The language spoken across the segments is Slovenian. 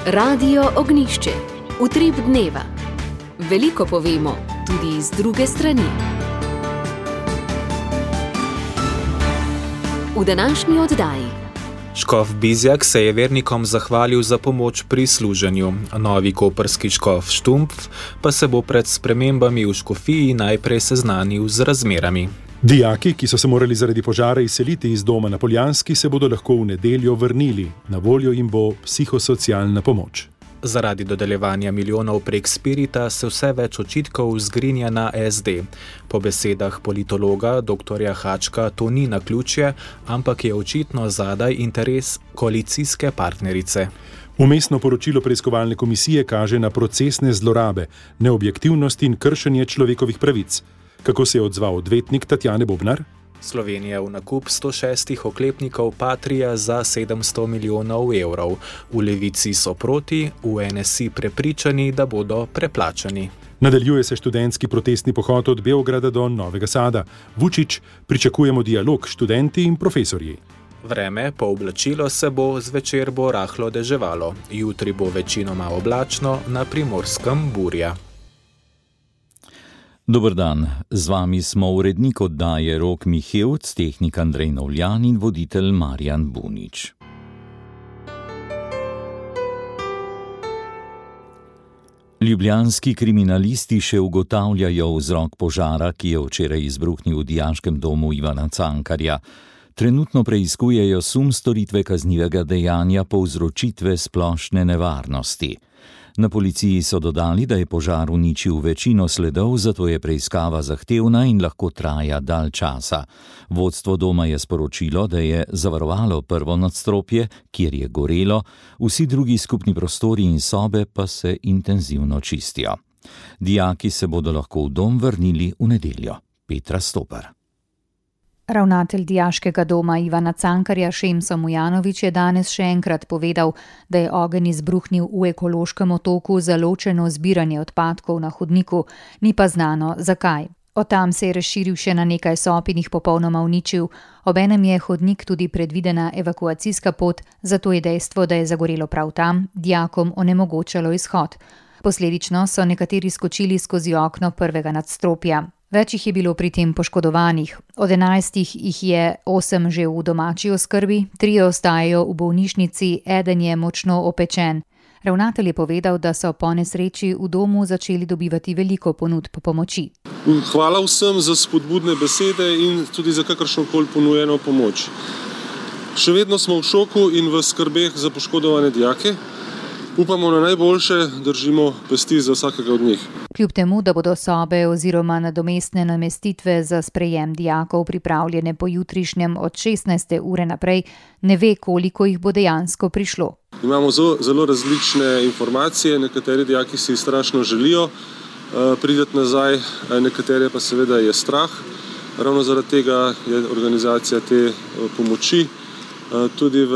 Radio Ognišče, utrip dneva. Veliko povemo, tudi iz druge strani. V današnji oddaji. Škof Bizjak se je vernikom zahvalil za pomoč pri služenju. Novi koprski škof Štumpf pa se bo pred spremembami v škofiji najprej seznanil z razmerami. Dijaki, ki so se morali zaradi požara izseliti iz doma na Poljanski, se bodo lahko v nedeljo vrnili. Na voljo jim bo psihosocialna pomoč. Zaradi dodeljevanja milijonov prek Spirita se vse več očitkov zgrinja na SD. Po besedah politologa dr. Hačka to ni naključje, ampak je očitno zadaj interes koalicijske partnerice. Vmesno poročilo preiskovalne komisije kaže na procesne zlorabe, neobjektivnost in kršenje človekovih pravic. Kako se je odzval odvetnik Tatjane Bobnar? Slovenija v nakup 106 oklepnikov Patria za 700 milijonov evrov. V Levici so proti, v NSI prepričani, da bodo preplačani. Nadaljuje se študentski protestni pohod od Beograda do Novega Sada. Vučić, pričakujemo dialog študenti in profesorji. Vreme, po oblačilo se bo, zvečer bo rahlo deževalo. Jutri bo večinoma oblačno, na Primorskem burja. Dober dan, z vami smo urednik oddaje Rok Mihevc, tehnik Andrej Novljan in voditelj Marjan Bunič. Ljubljanski kriminalisti še ugotavljajo vzrok požara, ki je včeraj izbruhnil v dijaškem domu Ivana Cankarja. Trenutno preiskujejo sum storitve kaznivega dejanja povzročitve splošne nevarnosti. Na policiji so dodali, da je požar uničil večino sledov, zato je preiskava zahtevna in lahko traja dalj časa. Vodstvo doma je sporočilo, da je zavarovalo prvo nadstropje, kjer je gorelo, vsi drugi skupni prostori in sobe pa se intenzivno čistijo. Dijaki se bodo lahko v dom vrnili v nedeljo. Petra Stopar. Ravnatelj dijaškega doma Ivana Cankarja Šemso Mujanović je danes še enkrat povedal, da je ogenj izbruhnil v ekološkem otoku za ločeno zbiranje odpadkov na hodniku, ni pa znano zakaj. Od tam se je razširil še na nekaj sob in jih popolnoma uničil. Obenem je hodnik tudi predvidena evakuacijska pot, zato je dejstvo, da je zagorelo prav tam, dijakom onemogočalo izhod. Posledično so nekateri skočili skozi okno prvega nadstropja. Več jih je bilo pri tem poškodovanih. Od 11 jih je 8 že v domači oskrbi, 3 ostajajo v bolnišnici, eden je močno opečen. Ravnatelj je povedal, da so po nesreči v domu začeli dobivati veliko ponudb pomoči. Hvala vsem za spodbudne besede in tudi za kakršnokoli ponujeno pomoč. Še vedno smo v šoku in v skrbeh za poškodovane dijake. Upamo na najboljše, držimo pesti za vsakega od njih. Kljub temu, da bodo sobe oziroma nadomestne namestitve za sprejem dijakov pripravljene po jutrišnjem od 16. ure naprej, ne ve, koliko jih bo dejansko prišlo. Imamo zelo različne informacije, nekateri dijaki si strašno želijo priti nazaj, nekatere pa seveda je strah. Ravno zaradi tega je organizacija te pomoči. Tudi v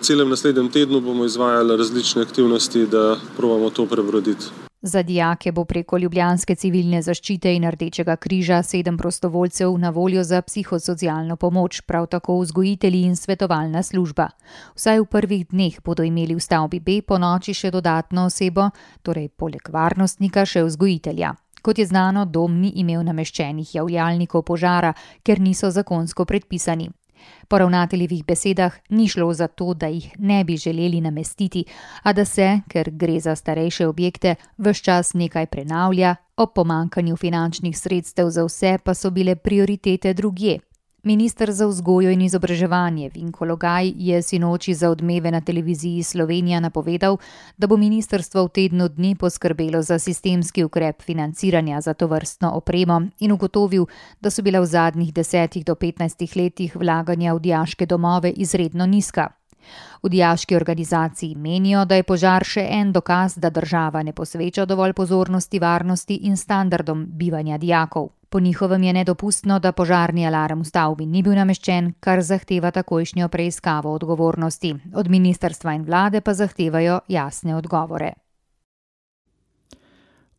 celem naslednjem tednu bomo izvajali različne aktivnosti, da probamo to prebroditi. Za dijake bo preko Ljubljanske civilne zaščite in Rdečega križa 7 prostovoljcev na voljo za psihosocialno pomoč, prav tako vzgojitelji in svetovalna služba. Vsaj v prvih dneh bodo imeli v stavbi B po noči še dodatno osebo, torej poleg varnostnika še vzgojitelja. Kot je znano, dom ni imel nameščenih javljalnikov požara, ker niso zakonsko predpisani. Po ravnateljevih besedah ni šlo za to, da jih ne bi želeli namestiti, a da se, ker gre za starejše objekte, ves čas nekaj prenavlja, ob pomanjkanju finančnih sredstev za vse pa so bile prioritete drugje. Minister za vzgojo in izobraževanje Vinko Logaj je sinoči za Odmeve na televiziji Slovenija napovedal, da bo ministrstvo v tednu dni poskrbelo za sistemski ukrep financiranja za tovrstno opremo in ugotovil, da so bila v zadnjih 10 do 15 letih vlaganja v dijaške domove izredno nizka. V dijaški organizaciji menijo, da je požar še en dokaz, da država ne posveča dovolj pozornosti varnosti in standardom bivanja dijakov. Po njihovem je nedopustno, da požarni alarm v stavbi ni bil nameščen, kar zahteva takojšnjo preiskavo odgovornosti. Od ministrstva in vlade pa zahtevajo jasne odgovore.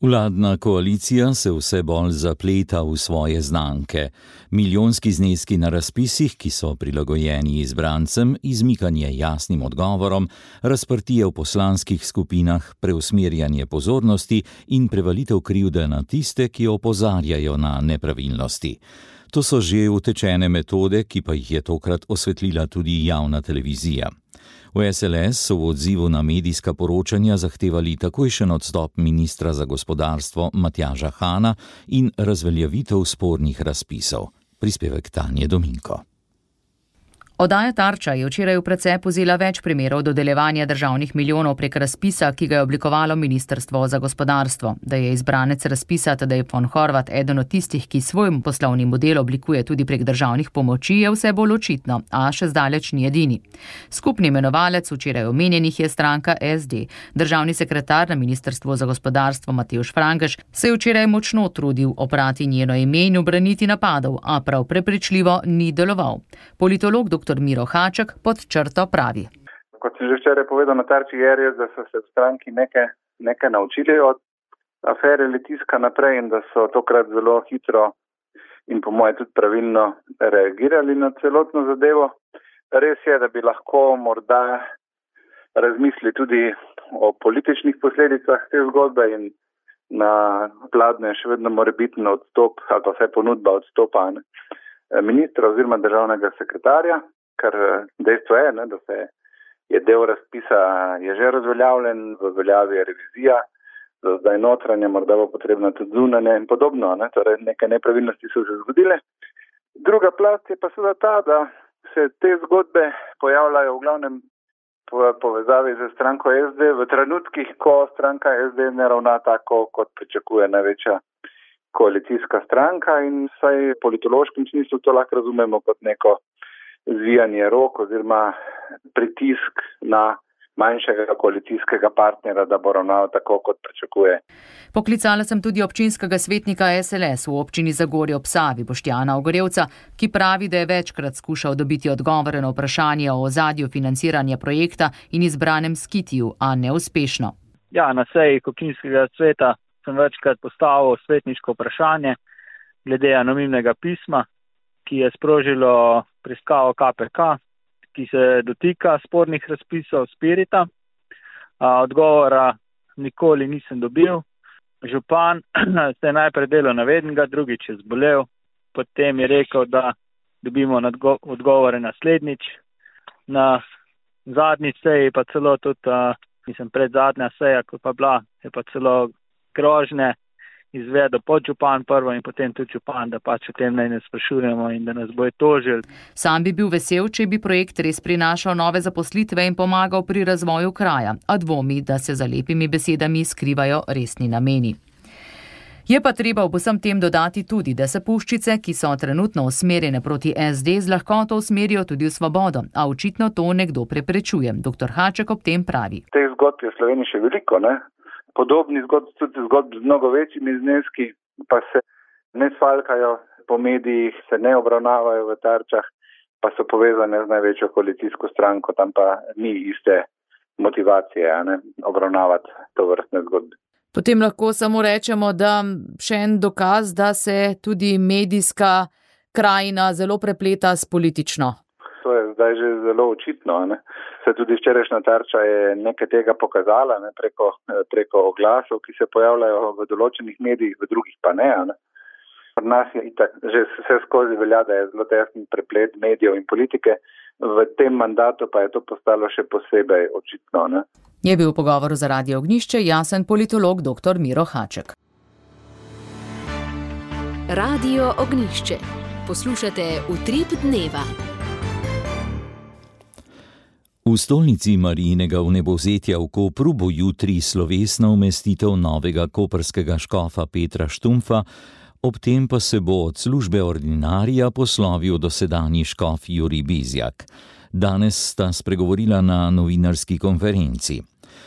Vladna koalicija se vse bolj zapleta v svoje znamke. Milijonski zneski na razpisih, ki so prilagojeni izbrancem, izmikanje jasnim odgovorom, razprtije v poslanskih skupinah, preusmerjanje pozornosti in prevalitev krivde na tiste, ki opozarjajo na nepravilnosti. To so že utečene metode, ki pa jih je tokrat osvetlila tudi javna televizija. V SLS so v odzivu na medijska poročanja zahtevali takojšen odstop ministra za gospodarstvo Matjaža Hana in razveljavitev spornih razpisov. Prispevek Tanje Dominko. Oddaja Tarča je včeraj v precep vzela več primerov dodeljevanja državnih milijonov prek razpisa, ki ga je oblikovalo Ministrstvo za gospodarstvo. Da je izbranec razpisa Tadej von Horvat eden od tistih, ki svoj poslovni model oblikuje tudi prek državnih pomoči, je vse bolj očitno, a še zdaleč ni edini. Skupni imenovalec včeraj omenjenih je stranka SD. Državni sekretar na Ministrstvu za gospodarstvo Matevž Frangež se je včeraj močno trudil oprati njeno ime in ubraniti napadov, a prav prepričljivo ni deloval. Politolog dr. Miro Haček pod črto pravi. Kot sem že včeraj povedal na Tarči, je res, da so se v stranki nekaj naučili od afere Litijska naprej in da so tokrat zelo hitro in po moje tudi pravilno reagirali na celotno zadevo. Res je, da bi lahko morda razmislili tudi o političnih posledicah te zgodbe in na vladne še vedno morebitno odstop ali pa vsaj ponudba odstopa ministra oziroma državnega sekretarja, kar dejstvo je, da se je del razpisa je že razveljavljen, v veljavi je revizija, za zdaj notranje, morda bo potrebno tudi zunanje in podobno, torej neke nepravilnosti so se zgodile. Druga plast je pa seveda ta, da se te zgodbe pojavljajo v glavnem povezavi z stranko SD v trenutkih, ko stranka SD ne ravna tako, kot pričakuje največja koalicijska stranka in vsaj v politološkem smislu to lahko razumemo kot neko zvijanje rok oziroma pritisk na manjšega koalicijskega partnera, da bo ravnal tako, kot pričakuje. Poklicala sem tudi občinskega svetnika SLS v občini Zagorje ob Savi, Boštjana Ogorevca, ki pravi, da je večkrat skušal dobiti odgovore na vprašanje o ozadju financiranja projekta in izbranem skitiju, a neuspešno. Ja, na seji občinskega sveta sem večkrat postavil svetniško vprašanje glede anonimnega pisma, ki je sprožilo preiskavo KPK, ki se dotika spornih razpisov Spirita. Odgovora nikoli nisem dobil. Župan se je najprej delal navednega, drugič je zbolel, potem je rekel, da dobimo odgovore naslednjič. Na zadnji seji pa celo tudi, predzadnja seja, ko pa bila, je pa celo grožnje izvedel podžupan prvo in potem tudi župan, da pač o tem ne sprašujemo in da nas bojo tožili. Sam bi bil vesel, če bi projekt res prinašal nove zaposlitve in pomagal pri razvoju kraja, a dvomi, da se za lepimi besedami skrivajo resni nameni. Je pa treba ob vsem tem dodati tudi, da se puščice, ki so trenutno usmerjene proti SD, z lahkoto usmerijo tudi v svobodo, a očitno to nekdo preprečuje. Dr. Haček ob tem pravi. Teh zgodb je v Sloveniji še veliko, Podobni zgodb, tudi zgodb z mnogo večjimi zneski, pa se ne svalkajo po medijih, se ne obravnavajo v Tarčah, pa so povezane z največjo koalicijsko stranko, tam pa ni iste motivacije obravnavati to vrstne zgodbe. Potem lahko samo rečemo, da še en dokaz, da se tudi medijska krajina zelo prepleta s politično. To je zdaj že zelo očitno. Se tudi včerajšnja Tarča je nekaj tega pokazala preko oglasov, ki se pojavljajo v določenih medijih, v drugih pa ne. Pri nas je itak že vse skozi velja, da je zelo tesen preplet medijev in politike. V tem mandatu pa je to postalo še posebej očitno. Je bil v pogovoru za Radio Ognjišče jasen politolog dr. Miro Haček. Radio Ognjišče. Poslušate Utrip dneva. V stolnici Marijinega vnebovzetja v Kopru bo jutri slovesna umestitev novega koprskega škofa Petra Štumpfa, ob tem pa se bo od službe ordinarija poslovil dosedanji škof Jurij Bizjak. Danes sta spregovorila na novinarski konferenci.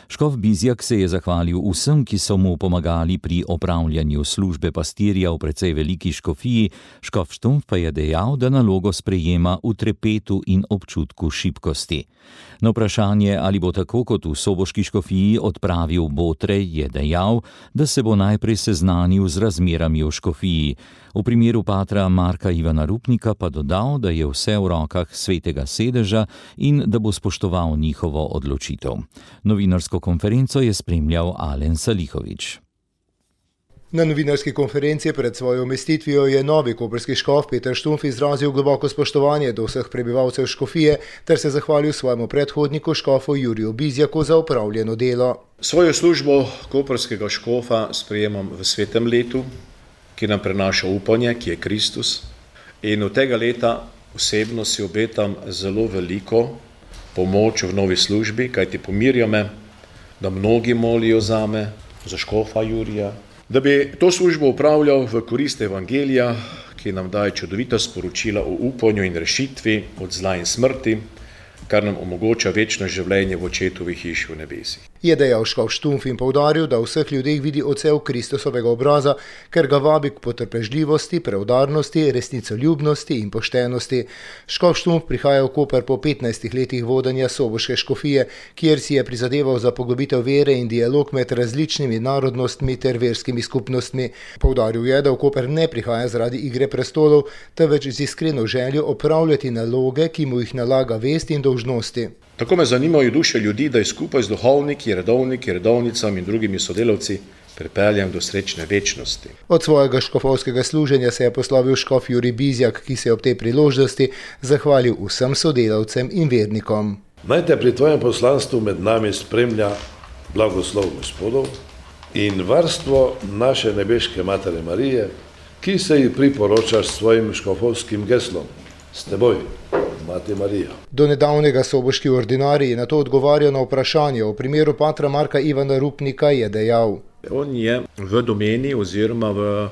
Škof Bizjak se je zahvalil vsem, ki so mu pomagali pri opravljanju službe pastirja v precej veliki škofiji, škof Štumpf pa je dejal, da nalogo sprejema v trepetu in občutku šibkosti. Na vprašanje, ali bo tako kot v soboški škofiji odpravil botre, je dejal, da se bo najprej seznanil z razmerami v škofiji. V primeru patra Marka Ivana Rupnika pa dodal, da je vse v rokah svetega sedeža in da bo spoštoval njihovo odločitev. Novinarsko konferenco je spremljal Alen Salihovič. Na novinarski konferenci pred svojo umestitvijo je novi koprski škof Peter Štumpf izrazil globoko spoštovanje do vseh prebivalcev škofije ter se zahvalil svojemu predhodniku škofu Juriju Bizjaku za opravljeno delo. Svojo službo koprskega škofa sprejemam v svetem letu, ki nam prenaša upanje, ki je Kristus. In od tega leta osebno si obetam zelo veliko pomoč v novi službi, kajti pomirja me, da mnogi molijo zame, za škofa Jurija, da bi to službo upravljal v korist evangelija, ki nam daje čudovita sporočila o upanju in rešitvi od zla in smrti, kar nam omogoča večno življenje v očetovi hiši v nebesih. Je dejal škof Štumpf in poudaril, da v vseh ljudeh vidi odsev Kristusovega obraza, ker ga vabi k potrpežljivosti, preudarnosti, resnicoljubnosti in poštenosti. Škof Štumpf prihaja v Koper po 15 letih vodenja soboške škofije, kjer si je prizadeval za poglobitev vere in dialog med različnimi narodnostmi ter verskimi skupnostmi. Poudaril je, da v Koper ne prihaja zaradi igre prestolov, temveč z iskreno željo opravljati naloge, ki mu jih nalaga vest in dolžnosti. Tako me zanimajo duše ljudi, da je skupaj z duhovniki, redovnicami in drugimi sodelavci pripeljam do srečne večnosti. Od svojega škofovskega služenja se je poslovil škof Jurij Bizjak, ki se je ob tej priložnosti zahvalil vsem sodelavcem in vernikom. Naj te pri tvojem poslanstvu med nami spremlja blagoslov Gospodov in varstvo naše nebeške Matere Marije, ki se ji priporočaš s svojim škofovskim geslom. S teboj, Mati Marija. Do nedavnega soboški ordinarij je na to odgovarjal na vprašanje. V primeru patra Marka Ivana Rupnika je dejal: On je v domeni oziroma v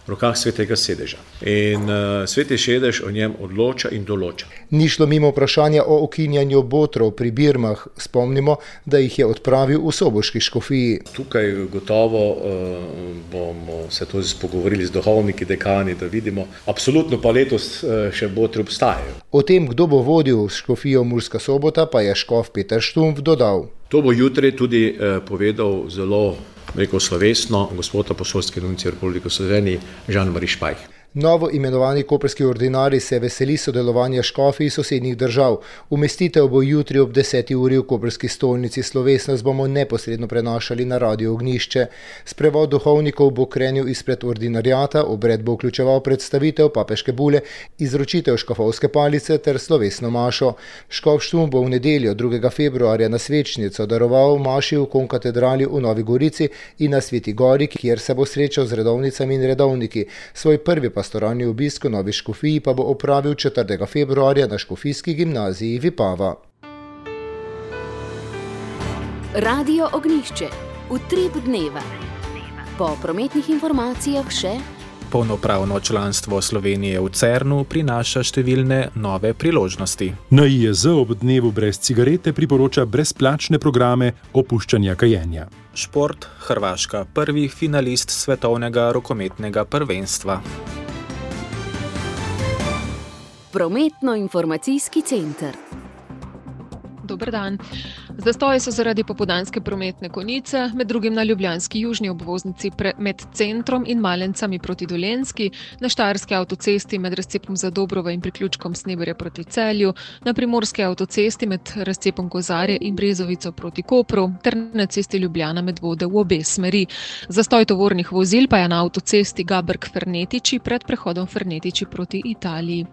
rokah svetega sedeža. In sveti sedež o njem odloča in določa. Ni šlo mimo vprašanja o ukinjanju botrov pri Birmah. Spomnimo, da jih je odpravil v soboški škofiji. Tukaj gotovo bomo se to pogovorili z duhovniki, dekani, da vidimo. Absolutno pa letos še botri obstajajo. O tem, kdo bo vodil škofijo Murska Sobota, pa je škof Peter Štumpf dodal: To bo jutri tudi povedal zelo slovesno gospod apostolski nuncij Republike Slovenije Jean-Marie Špajh. Novo imenovani koprski ordinarij se veseli sodelovanja škofij iz sosednjih držav. Umestitev bo jutri ob 10. uri v koprski stolnici. Slovesnost bomo neposredno prenašali na Radio Ognjišče. Sprevod duhovnikov bo krenil izpred ordinariata, obred bo vključeval predstavitev papeške bule, izročitev škofovske palice ter slovesno mašo. Škof Štumpf bo v nedeljo 2. februarja na svečnico daroval maši v konkatedrali v Novi Gorici in na Sveti Gori, kjer se bo srečal z redovnicami in redovniki. Svoj prvi pastoralni obisk v Novi škofiji pa bo opravil 4. februarja na škofijski gimnaziji Vipava. Radio Ognjišče. Utrip dneva. Po prometnih informacijah še: Polnopravno članstvo Slovenije v CERN-u prinaša številne nove priložnosti. NIJZ ob dnevu brez cigarete priporoča brezplačne programe opuščanja kajenja. Šport, Hrvaška, prvi finalist svetovnega rokometnega prvenstva. Prometno-informacijski center. Dober dan. Zastoji so zaradi popoldanske prometne konice, med drugim na ljubljanski južni obvoznici med centrom in Malencami proti Dolenjski, na štajerski avtocesti med razcepom Zadobrovo in priključkom Sneberja proti Celju, na primorski avtocesti med razcepom Kozarje in Brezovico proti Kopru ter na cesti Ljubljana Medvode v obe smeri. Zastoj tovornih vozil pa je na avtocesti Gaberg-Fernetiči pred prehodom Fernetiči proti Italiji.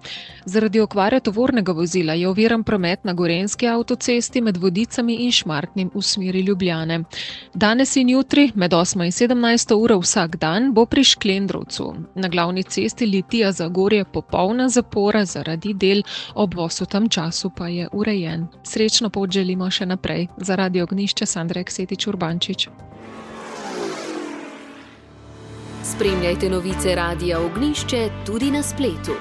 Zaradi okvare tovornega vozila je oviran promet na Gorenjski avtocesti med Vodicami in Šmartnim v smeri Ljubljane. Danes in jutri med 8 in 17 uro vsak dan bo pri Šklendrovcu. Na glavni cesti Litija-Zagorje popolna zapora zaradi del, obvoz v tem času pa je urejen. Srečno pot želimo še naprej. Za Radio Ognjišče Sandra Eksetič Urbančič. Spremljajte novice Radia Ognjišče tudi na spletu.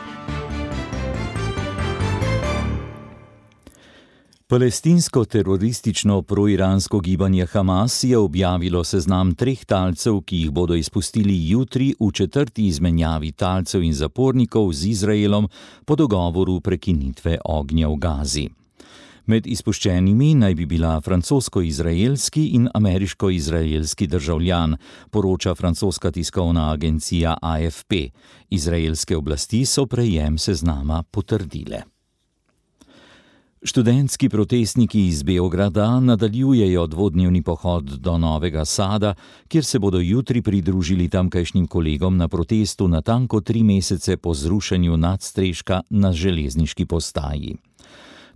Palestinsko teroristično proiransko gibanje Hamas je objavilo seznam 3 talcev, ki jih bodo izpustili jutri v 4. izmenjavi talcev in zapornikov z Izraelom po dogovoru prekinitve ognja v Gazi. Med izpuščenimi naj bi bila francosko-izraelski in ameriško-izraelski državljan, poroča francoska tiskovna agencija AFP. Izraelske oblasti so prejem seznama potrdile. Študentski protestniki iz Beograda nadaljujejo dvodnevni pohod do Novega Sada, kjer se bodo jutri pridružili tamkajšnjim kolegom na protestu natanko 3 mesece po zrušenju nadstreška na železniški postaji.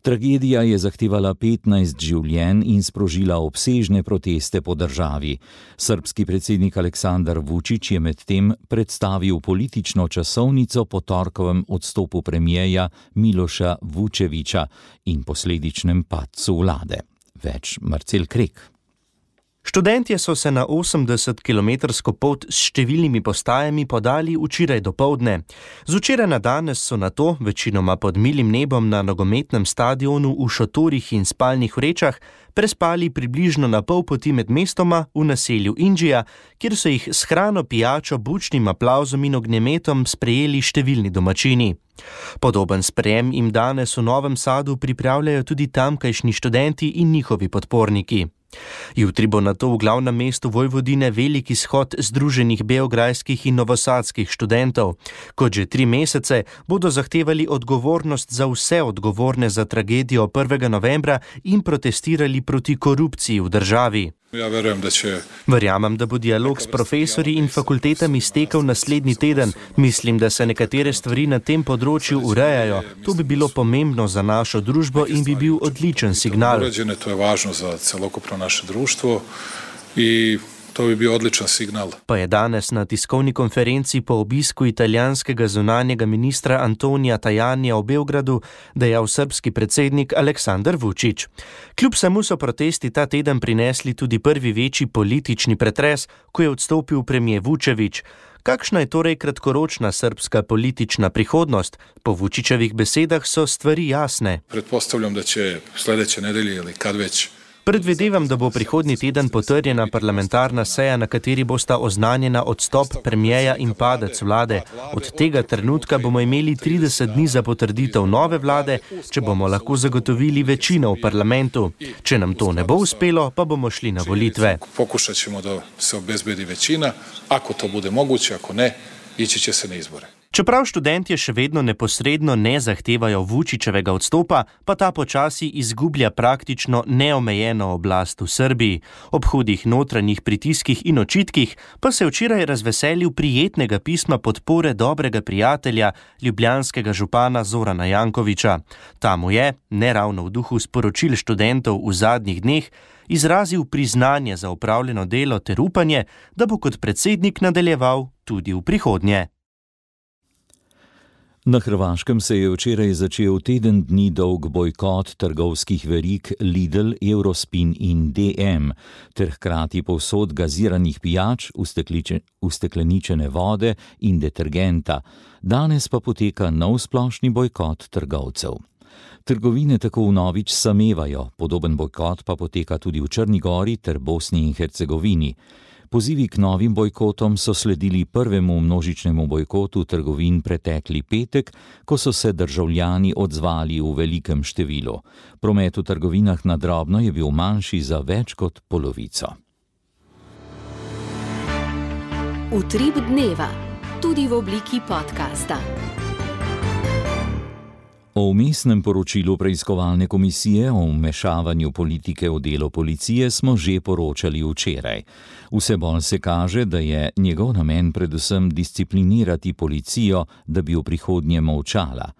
Tragedija je zahtevala 15 življenj in sprožila obsežne proteste po državi. Srbski predsednik Aleksandar Vučić je medtem predstavil politično časovnico po torkovem odstopu premijeja Miloša Vučevića in posledičnem padcu vlade. Več Marcel Krek. Študentje so se na 80-kilometrsko pot s številnimi postajami podali včeraj dopoldne. Z včeraj na danes so nato, večinoma pod milim nebom na nogometnem stadionu v šotorih in spalnih vrečah, prespali približno na pol poti med mestoma v naselju Indžija, kjer so jih s hrano, pijačo, bučnim aplavzom in ognjemetom sprejeli številni domačini. Podoben sprejem jim danes v Novem Sadu pripravljajo tudi tamkajšnji študenti in njihovi podporniki. Jutri bo nato v glavnem mestu Vojvodine veliki shod združenih beograjskih in novosadskih študentov. Kot že 3 mesece bodo zahtevali odgovornost za vse odgovorne za tragedijo 1. novembra in protestirali proti korupciji v državi. Verjamem, da bo dialog s profesorji in fakultetami stekel naslednji teden. Mislim, da se nekatere stvari na tem področju urejajo. To bi bilo pomembno za našo družbo in bi bil odličen signal. To je važno za celokupno naše društvo i to bi bil odličan signal. Pa je danes na tiskovni konferenci po obisku italijanskega zunanjega ministra Antonija Tajanija v Beogradu dejal srbski predsednik Aleksandar Vučić. Kljub samo so protesti ta teden prinesli tudi prvi večji politični pretres, ko je odstopil premijer Vučević. Kakšna je torej kratkoročna srbska politična prihodnost? Po Vučićevih besedah so stvari jasne. Pretpostavljam, da će sljedeće nedelje ili kad već. Predvidevam, da bo prihodnji teden potrjena parlamentarna seja, na kateri bosta oznanjena odstop premijeja in padec vlade. Od tega trenutka bomo imeli 30 dni za potrditev nove vlade, če bomo lahko zagotovili večino v parlamentu. Če nam to ne bo uspelo, pa bomo šli na volitve. Pokušat ćemo da se obezbedi večina, ako to bude moguće, ako ne, ići će se na izbore. Čeprav študentje še vedno neposredno ne zahtevajo Vučićevega odstopa, pa ta počasi izgublja praktično neomejeno oblast v Srbiji. Ob hudih notranjih pritiskih in očitkih pa se je včeraj razveselil prijetnega pisma podpore dobrega prijatelja, ljubljanskega župana Zorana Jankovića. Ta mu je, ne ravno v duhu sporočil študentov v zadnjih dneh, izrazil priznanje za opravljeno delo ter upanje, da bo kot predsednik nadaljeval tudi v prihodnje. Na Hrvaškem se je včeraj začel teden dni dolg bojkot trgovskih verig Lidl, Eurospin in DM, ter hkrati povsod gaziranih pijač, ustekleničene vode in detergenta. Danes pa poteka nov splošni bojkot trgovcev. Trgovine tako vnovič samevajo, podoben bojkot pa poteka tudi v Črni Gori ter Bosni in Hercegovini. Pozivi k novim bojkotom so sledili prvemu množičnemu bojkotu trgovin pretekli petek, ko so se državljani odzvali v velikem številu. Promet v trgovinah na drobno je bil manjši za več kot polovico. Utrip dneva, tudi v obliki podcasta. O vmesnem poročilu preiskovalne komisije o vmešavanju politike v delo policije smo že poročali včeraj. Vse bolj se kaže, da je njegov namen predvsem disciplinirati policijo, da bi v prihodnje molčala.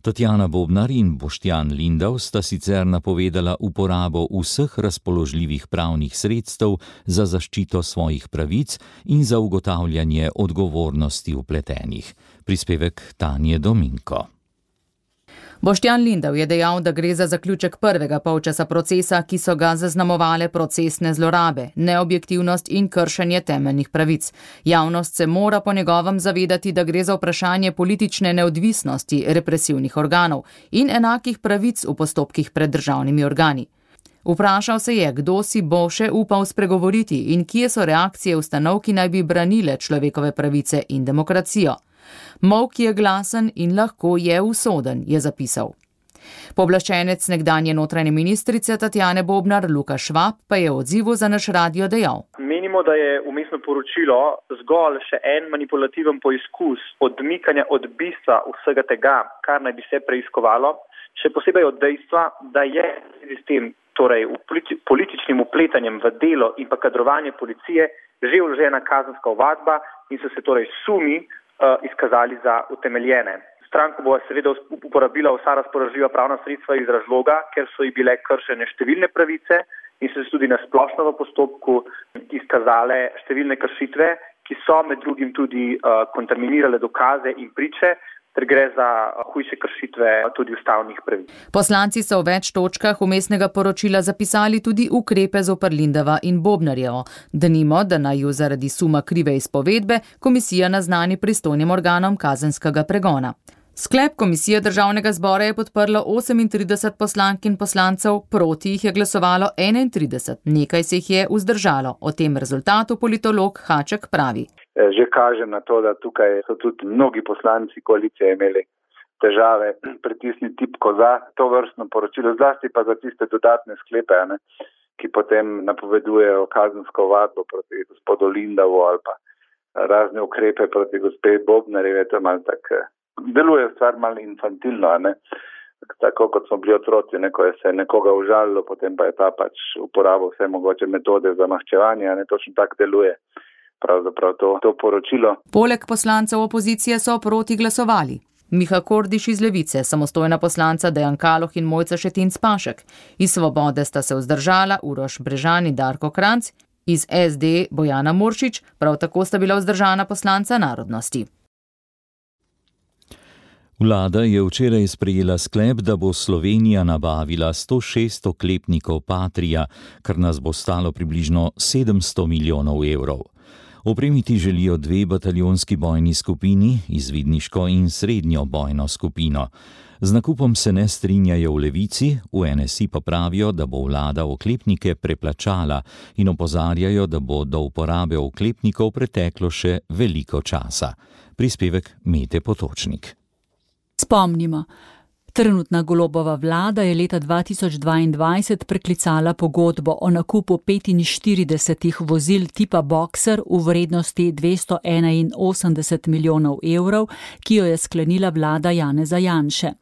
Tatjana Bobnar in Boštjan Lindav sta sicer napovedala uporabo vseh razpoložljivih pravnih sredstev za zaščito svojih pravic in za ugotavljanje odgovornosti vpletenih. Prispevek Tanje Dominko. Boštjan Lindav je dejal, da gre za zaključek prvega polčasa procesa, ki so ga zaznamovale procesne zlorabe, neobjektivnost in kršenje temeljnih pravic. Javnost se mora po njegovem zavedati, da gre za vprašanje politične neodvisnosti represivnih organov in enakih pravic v postopkih pred državnimi organi. Vprašal se je, kdo si bo še upal spregovoriti in kje so reakcije ustanov, ki naj bi branile človekove pravice in demokracijo. Molk je glasen in lahko je usoden, je zapisal. Pooblaščenec nekdanje notranje ministrice Tatjane Bobnar Luka Švab pa je v odzivu za naš radio dejal. Menimo, da je vmesno poročilo zgolj še en manipulativen poizkus odmikanja od bistva vsega tega, kar naj bi se preiskovalo, še posebej od dejstva, da je sistem, torej političnim vpletanjem v delo in pa kadrovanje policije, že vložena kazenska ovadba in so se torej sumi izkazali za utemeljene. Stranka bo seveda uporabila vsa razpoložljiva pravna sredstva iz razloga, ker so ji bile kršene številne pravice in so se tudi na splošno v postopku izkazale številne kršitve, ki so med drugim tudi kontaminirale dokaze in priče, ter gre za hujše kršitve tudi ustavnih pravic. Poslanci so v več točkah vmesnega poročila zapisali tudi ukrepe zoper Lindava in Bobnarjevo. Denimo, da naj ju zaradi suma krive izpovedbe komisija naznani pristojnim organom kazenskega pregona. Sklep komisije Državnega zbora je podprlo 38 poslank in poslancev, proti jih je glasovalo 31, nekaj se jih je vzdržalo. O tem rezultatu politolog Haček pravi. Že kaže na to, da tukaj so tudi mnogi poslanci koalicije imeli težave pritisniti tipko za to vrstno poročilo, zlasti pa za tiste dodatne sklepe, ki potem napovedujejo kazensko ovadbo proti gospodu Lindavu ali pa razne ukrepe proti gospe Bobnarjevi. To malo tako deluje stvar malo infantilno, tako kot smo bili otroci, ko je se nekoga užalilo, potem pa je ta pač uporabil vse mogoče metode za maščevanje, točno tako deluje. Pravzaprav to poročilo. Poleg poslancev opozicije so proti glasovali. Miha Kordiš iz Levice, samostojna poslanca Dejan Kaloh in Mojca Šetinc Pašek. Iz Svobode sta se vzdržala Uroš Brežan in Darko Kranjc, iz SD Bojana Muršič, prav tako sta bila vzdržana poslanca Narodnosti. Vlada je včeraj sprejela sklep, da bo Slovenija nabavila 106 oklepnikov Patria, kar nas bo stalo približno 700 milijonov evrov. Opremiti želijo 2 bataljonski bojni skupini, izvidniško in srednjo bojno skupino. Z nakupom se ne strinjajo v Levici, v NSI pa pravijo, da bo vlada oklepnike preplačala in opozarjajo, da bo do uporabe oklepnikov preteklo še veliko časa. Prispevek Mete Potočnik. Spomnimo, trenutna Golobova vlada je leta 2022 preklicala pogodbo o nakupu 45 vozil tipa Boxer v vrednosti 281 milijonov evrov, ki jo je sklenila vlada Janeza Janše.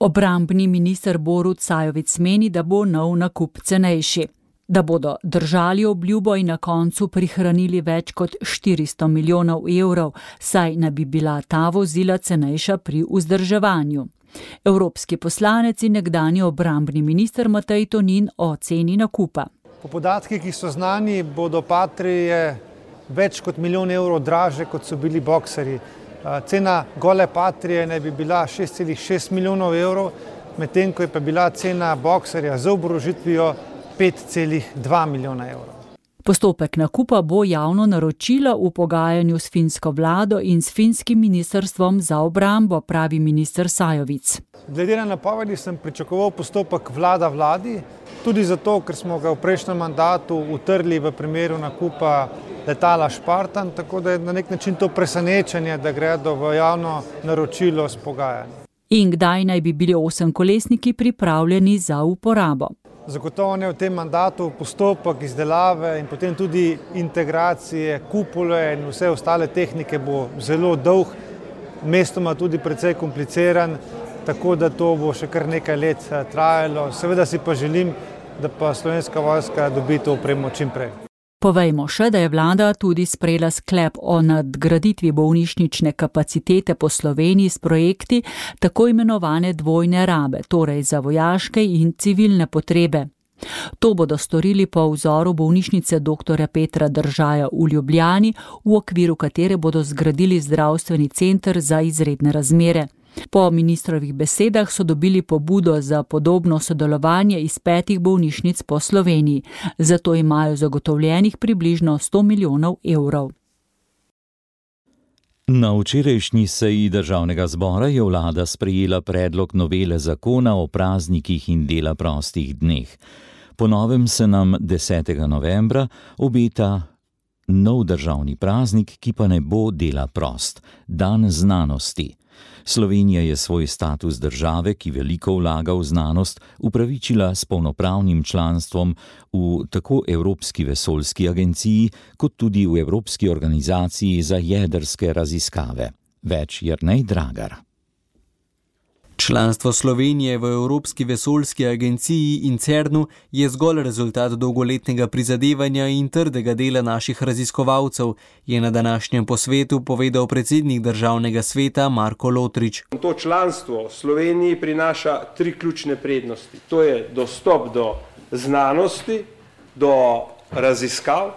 Obrambni minister Borut Sajovic meni, da bo nov nakup cenejši, da bodo držali obljubo in na koncu prihranili več kot 400 milijonov evrov, saj naj bi bila ta vozila cenejša pri vzdrževanju. Evropski poslanec in nekdanji obrambni minister Matej Tonin o ceni nakupa. Po podatkih, ki so znani, bodo Patrije več kot milijon evrov draže, kot so bili Boxerji. Cena gole Patrije naj bi bila 6,6 milijonov evrov, medtem ko je pa bila cena Boxerja z oborožitvijo 5,2 milijona evrov. Postopek nakupa bo javno naročilo v pogajanju s finsko vlado in s finskim ministrstvom za obrambo, pravi minister Sajovic. Glede na napovedi sem pričakoval postopek vladi, tudi zato, ker smo ga v prejšnjem mandatu utrli v primeru nakupa letala Špartan, tako da je na nek način to presenečenje, da gredo v javno naročilo s pogajanjem. In kdaj naj bi bili 8-kolesniki pripravljeni za uporabo? Zagotovo ne v tem mandatu, postopek izdelave in potem tudi integracije, kupole in vse ostale tehnike bo zelo dolg, mestoma tudi precej kompliciran, tako da to bo še kar nekaj let trajalo. Seveda si pa želim, da pa Slovenska vojska dobi to opremo čim prej. Povejmo še, da je vlada tudi sprejela sklep o nadgraditvi bolnišnične kapacitete po Sloveniji s projekti tako imenovane dvojne rabe, torej za vojaške in civilne potrebe. To bodo storili po vzoru bolnišnice dr. Petra Držaja v Ljubljani, v okviru katere bodo zgradili zdravstveni center za izredne razmere. Po ministrovih besedah so dobili pobudo za podobno sodelovanje iz 5 bolnišnic po Sloveniji. Zato imajo zagotovljenih približno 100 milijonov evrov. Na včerajšnji seji Državnega zbora je vlada sprejela predlog novele zakona o praznikih in dela prostih dneh. Po novem se nam 10. novembra obeta nov državni praznik, ki pa ne bo dela prost, dan znanosti. Slovenija je svoj status države, ki veliko vlaga v znanost, upravičila s polnopravnim članstvom v tako Evropski vesoljski agenciji, kot tudi v Evropski organizaciji za jedrske raziskave. Več Jernej Dragar. Članstvo Slovenije v Evropski vesoljski agenciji in CERN-u je zgolj rezultat dolgoletnega prizadevanja in trdega dela naših raziskovalcev, je na današnjem posvetu povedal predsednik Državnega sveta Marko Lotrič. To članstvo Sloveniji prinaša 3 ključne prednosti. To je dostop do znanosti, do raziskav,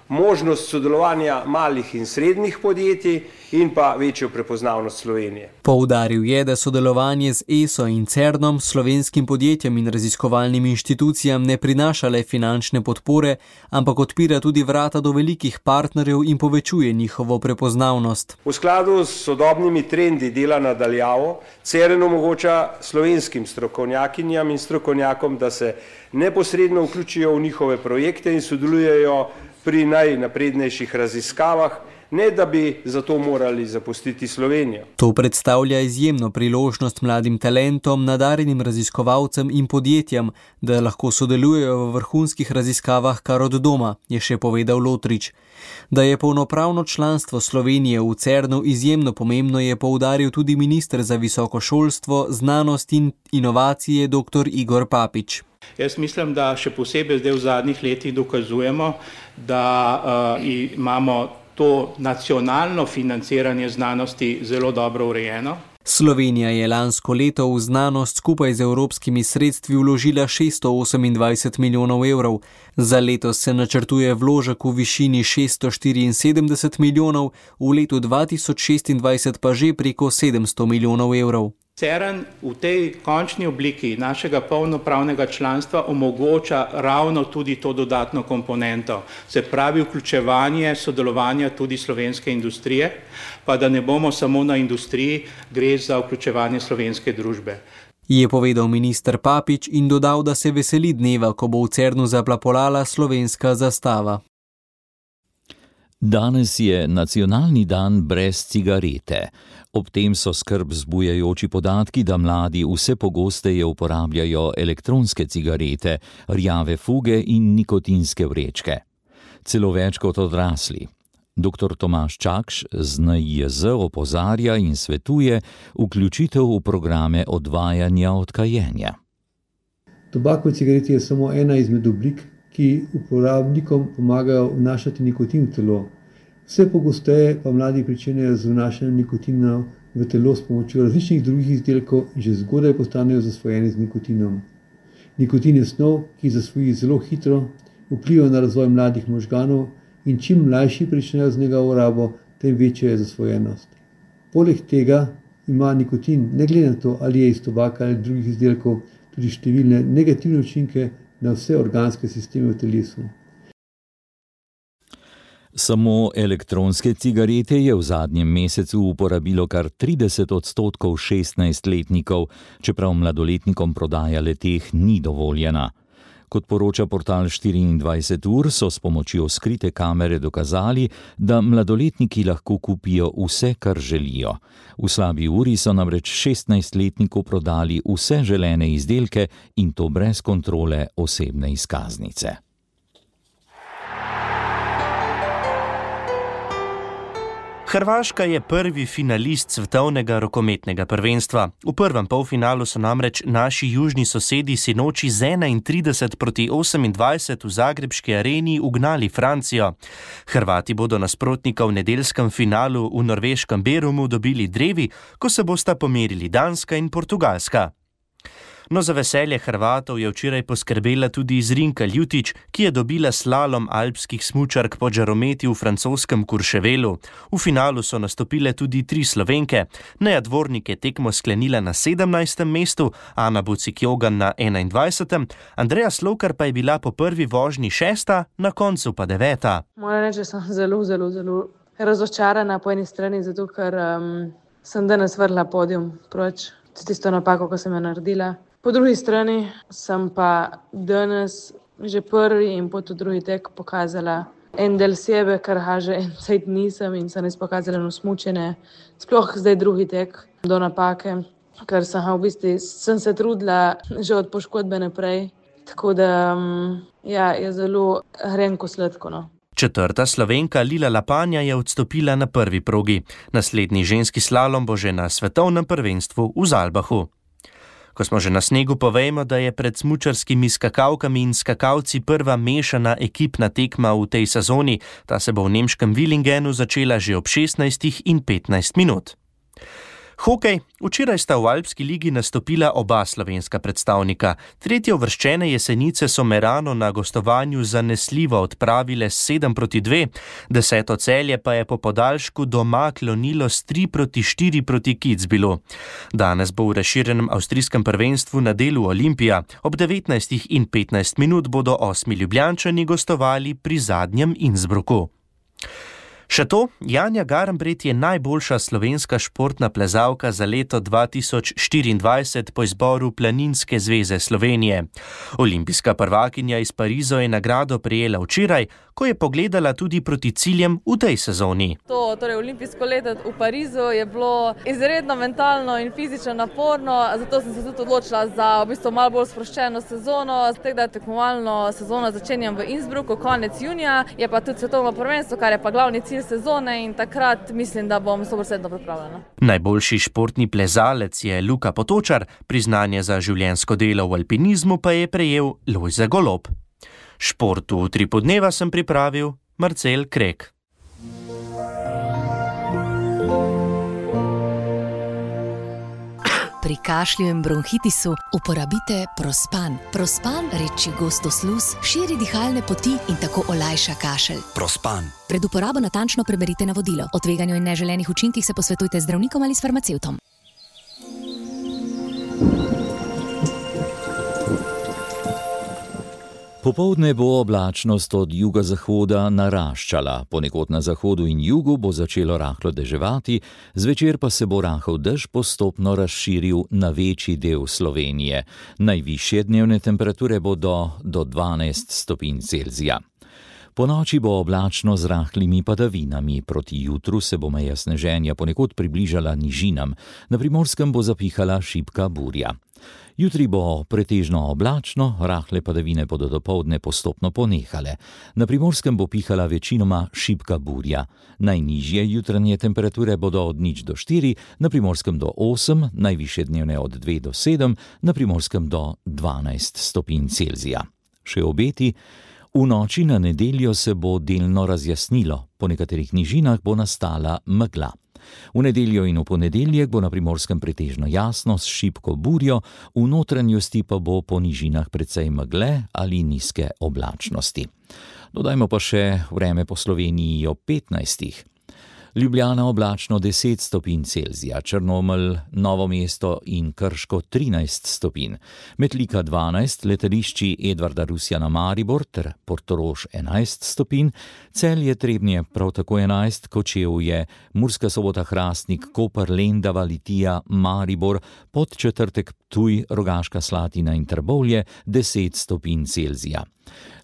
možnost sodelovanja malih in srednjih podjetij in pa večjo prepoznavnost Slovenije. Poudaril je, da sodelovanje z ESO in CERN-om, slovenskim podjetjem in raziskovalnim inštitucijam ne prinaša le finančne podpore, ampak odpira tudi vrata do velikih partnerjev in povečuje njihovo prepoznavnost. V skladu s sodobnimi trendi dela na daljavo, CERN omogoča slovenskim strokovnjakinjam in strokovnjakom, da se neposredno vključijo v njihove projekte in sodelujejo pri najnaprednejših raziskavah, ne da bi zato morali zapustiti Slovenijo. To predstavlja izjemno priložnost mladim talentom, nadarenim raziskovalcem in podjetjem, da lahko sodelujejo v vrhunskih raziskavah kar od doma, je še povedal Lotrič. Da je polnopravno članstvo Slovenije v CERN-u izjemno pomembno, je poudaril tudi minister za visoko šolstvo, znanost in inovacije dr. Igor Papič. Jaz mislim, da še posebej zdaj v zadnjih letih dokazujemo, da imamo to nacionalno financiranje znanosti zelo dobro urejeno. Slovenija je lansko leto v znanost skupaj z evropskimi sredstvi vložila 628 milijonov evrov. Za letos se načrtuje vložek v višini 674 milijonov, v letu 2026 pa že preko 700 milijonov evrov. CERN v tej končni obliki našega polnopravnega članstva omogoča ravno tudi to dodatno komponento, se pravi vključevanje sodelovanja tudi slovenske industrije, pa da ne bomo samo na industriji, gre za vključevanje slovenske družbe. Je povedal minister Papič in dodal, da se veseli dneva, ko bo v CERN-u zaplapolala slovenska zastava. Danes je nacionalni dan brez cigarete. Ob tem so skrb vzbujajoči podatki, da mladi vse pogosteje uporabljajo elektronske cigarete, rjave fuge in nikotinske vrečke. Celo več kot odrasli. Dr. Tomaž Čakš z NIJZ opozarja in svetuje vključitev v programe odvajanja od kajenja. Tobak v cigareti je samo ena izmed oblik, ki uporabnikom pomagajo vnašati nikotin v telo. Vse pogosteje pa mladi pričenjajo z vnašanjem nikotina v telo s pomočjo različnih drugih izdelkov in že zgodaj postanejo zasvojeni z nikotinom. Nikotin je snov, ki zasvoji zelo hitro, vpliva na razvoj mladih možganov in čim mlajši pričnejo z njegovo rabo, tem večja je zasvojenost. Poleg tega ima nikotin, ne glede na to, ali je iz tobaka ali drugih izdelkov, tudi številne negativne učinke na vse organske sisteme v telesu. Samo elektronske cigarete je v zadnjem mesecu uporabilo kar 30% 16-letnikov, čeprav mladoletnikom prodaja le-teh ni dovoljena. Kot poroča portal 24 ur, so s pomočjo skrite kamere dokazali, da mladoletniki lahko kupijo vse, kar želijo. V slabi uri so namreč 16-letniku prodali vse želene izdelke in to brez kontrole osebne izkaznice. Hrvaška je prvi finalist svetovnega rokometnega prvenstva. V prvem polfinalu so namreč naši južni sosedi sinoči z 31-28 v zagrebški areni ugnali Francijo. Hrvati bodo nasprotnika v nedeljskem finalu v norveškem Berumu dobili drevi, ko se bosta pomerili Danska in Portugalska. No, za veselje Hrvatov je včeraj poskrbela tudi Zrinka Ljutić, ki je dobila slalom alpskih smučark po žarometi v francoskem Courchevelu. V finalu so nastopile tudi 3 Slovenke. Neja Dvornik je tekmo sklenila na 17. mestu, Ana Bucik-Jogan na 21. Andreja Slokar pa je bila po prvi vožnji 6., na koncu pa 9. Moram reči, da sem zelo razočarana po eni strani, zato ker sem danes vrla podium proč. Tisto napako, ko sem jo naredila. Po drugi strani sem pa danes že prvi in potom drugi tek pokazala en del sebe, kar že en cajt nisem in sem res pokazala smučenje. Sploh zdaj drugi tek do napake, ker sem se trudila že od poškodbe naprej. Tako da je zelo hrenko sladko, no. 4. Slovenka Lila Lapanja je odstopila na prvi progi. Naslednji ženski slalom bo že na svetovnem prvenstvu v Zalbahu. Ko smo že na snegu, povejmo, da je pred smučarskimi skakalkami in skakalci prva mešana ekipna tekma v tej sezoni. Ta se bo v nemškem Willingenu začela že ob 16:15 minut. Hokej. Včeraj sta v Alpski ligi nastopila oba slovenska predstavnika. Tretjeuvrščene Jesenice so Merano na gostovanju zanesljivo odpravile s 7:2, 10. Celje pa je po podaljšku doma klonilo s 3:4 proti Kitzbühelu. Danes bo v razširjenem avstrijskem prvenstvu na delu Olimpija. Ob 19:15 minut bodo 8 Ljubljančani gostovali pri zadnjem Innsbrucku. Še to, Janja Garnbret je najboljša slovenska športna plezalka za leto 2024 po izboru Planinske zveze Slovenije. Olimpijska prvakinja iz Pariza je nagrado prejela včeraj, ko je pogledala tudi proti ciljem v tej sezoni. Torej olimpijsko leto v Parizu je bilo izredno mentalno in fizično naporno, zato sem se tudi odločila za v bistvu malo bolj sproščeno sezono. Tega tekmovalno sezono začenjam v Innsbrucku konec junija, je pa tudi svetovno prvenstvo, kar je pa glavni cilj sezone in takrat mislim, da bom 100% pripravljena. Najboljši športni plezalec je Luka Potočar, priznanje za življenjsko delo v alpinizmu pa je prejel Lojze Golob. Športu v 3 dneva sem pripravil Marcel Krek. Pri kašlju in bronhitisu uporabite Prospan. Prospan reči gosto sluz, širi dihalne poti in tako olajša kašelj. Prospan. Pred uporabo natančno preberite navodilo. O tveganju in neželenih učinkih se posvetujte z zdravnikom ali s farmacevtom. Popoldne bo oblačnost od jugozahoda naraščala, ponekod na zahodu in jugu bo začelo rahlo deževati, zvečer pa se bo rahel dež postopno razširil na večji del Slovenije. Najvišje dnevne temperature bodo do 12 stopinj Celzija. Po noči bo oblačno z rahlimi padavinami, proti jutru se bo meja sneženja ponekod približala nižinam, na Primorskem bo zapihala šibka burja. Jutri bo pretežno oblačno, rahle padavine bodo dopoldne postopno ponehale. Na Primorskem bo pihala večinoma šibka burja. Najnižje jutranje temperature bodo od 0 do 4, na Primorskem do 8, najvišje dnevne od 2 do 7, na Primorskem do 12 stopinj Celzija. Še obeti. V noči na nedeljo se bo delno razjasnilo, po nekaterih nižinah bo nastala megla. V nedeljo in v ponedeljek bo na Primorskem pretežno jasno s šibko burjo, v notranjosti pa bo po nižinah precej megle ali nizke oblačnosti. Dodajmo pa še vreme po Sloveniji ob 15. Ljubljana oblačno 10 stopinj Celzija, Črnomelj, Novo mesto in Krško 13 stopinj, Metlika 12, letališči Edvarda Rusjana Maribor ter Portorož 11 stopinj, Celje Trebnje prav tako 11, Kočevje, Murska Sobota Hrastnik, Koper, Lendava, Litija, Maribor, Podčetrtek Ptuj, Rogaška Slatina in Trbovlje 10 stopinj Celzija.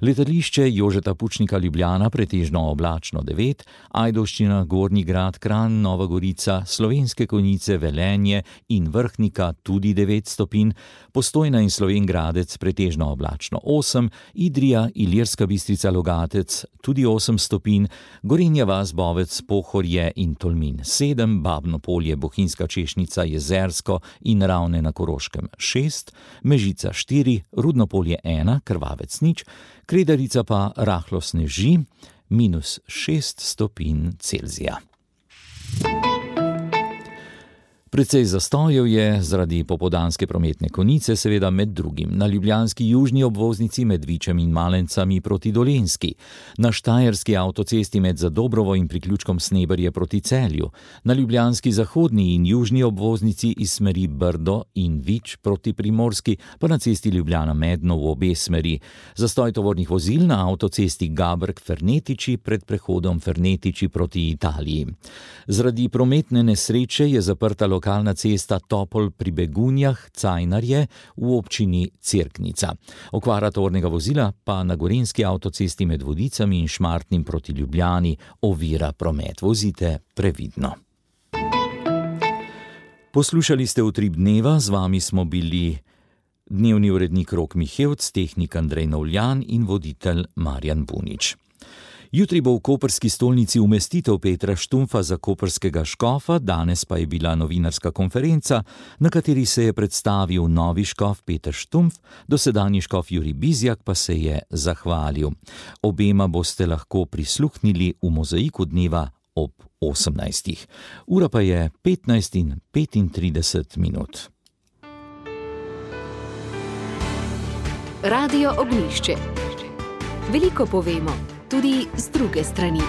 Letališče Jožeta Pučnika Ljubljana pretežno oblačno 9, Ajdovščina, Gornji Grad, Kranj, Nova Gorica, Slovenske Konjice, Velenje in Vrhnika tudi 9 stopinj, Postojna in Slovenj Gradec pretežno oblačno 8, Idrija, Ilirska Bistrica, Logatec tudi 8 stopinj, Gorenja vas, Bovec, Pohorje in Tolmin 7, Babno Polje, Bohinjska Češnica, Jezersko in Ravne na Koroškem 6, Mežica 4, Rudno Polje 1, Krvavec 0, Kredarica pa rahlo sneži, -6 stopinj Celzija. Precej zastojev je zaradi popoldanske prometne konice, seveda med drugim na ljubljanski južni obvoznici med Vičem in Malencami proti Dolenjski, na štajerski avtocesti med Zadobrovo in priključkom Sneberje proti Celju, na ljubljanski zahodni in južni obvoznici iz smeri Brdo in Vič proti Primorski, pa na cesti Ljubljana-Medno v obe smeri, zastoj tovornih vozil na avtocesti Gabrk-Fernetiči pred prehodom Fernetiči proti Italiji. Zaradi prometne nesreče je zaprta lokalna cesta Topol pri Begunjah, Cajnarje v občini Cerknica. Okvara tovornega vozila pa na gorenjski avtocesti med Vodicami in Šmartnim proti Ljubljani ovira promet. Vozite previdno. Poslušali ste Utrip dneva, z vami smo bili dnevni urednik Rok Mihevc, tehnik Andrej Novljan in voditelj Marjan Bunič. Jutri bo v koprski stolnici umestitev Petra Štumpfa za koprskega škofa, danes pa je bila novinarska konferenca, na kateri se je predstavil novi škof Peter Štumpf, dosedanji škof Jurij Bizjak pa se je zahvalil. Obema boste lahko prisluhnili v Mozaiku dneva ob 18. Ura pa je 15:35 minut. Radio Ognjišče. Veliko povemo, tudi z druge strani.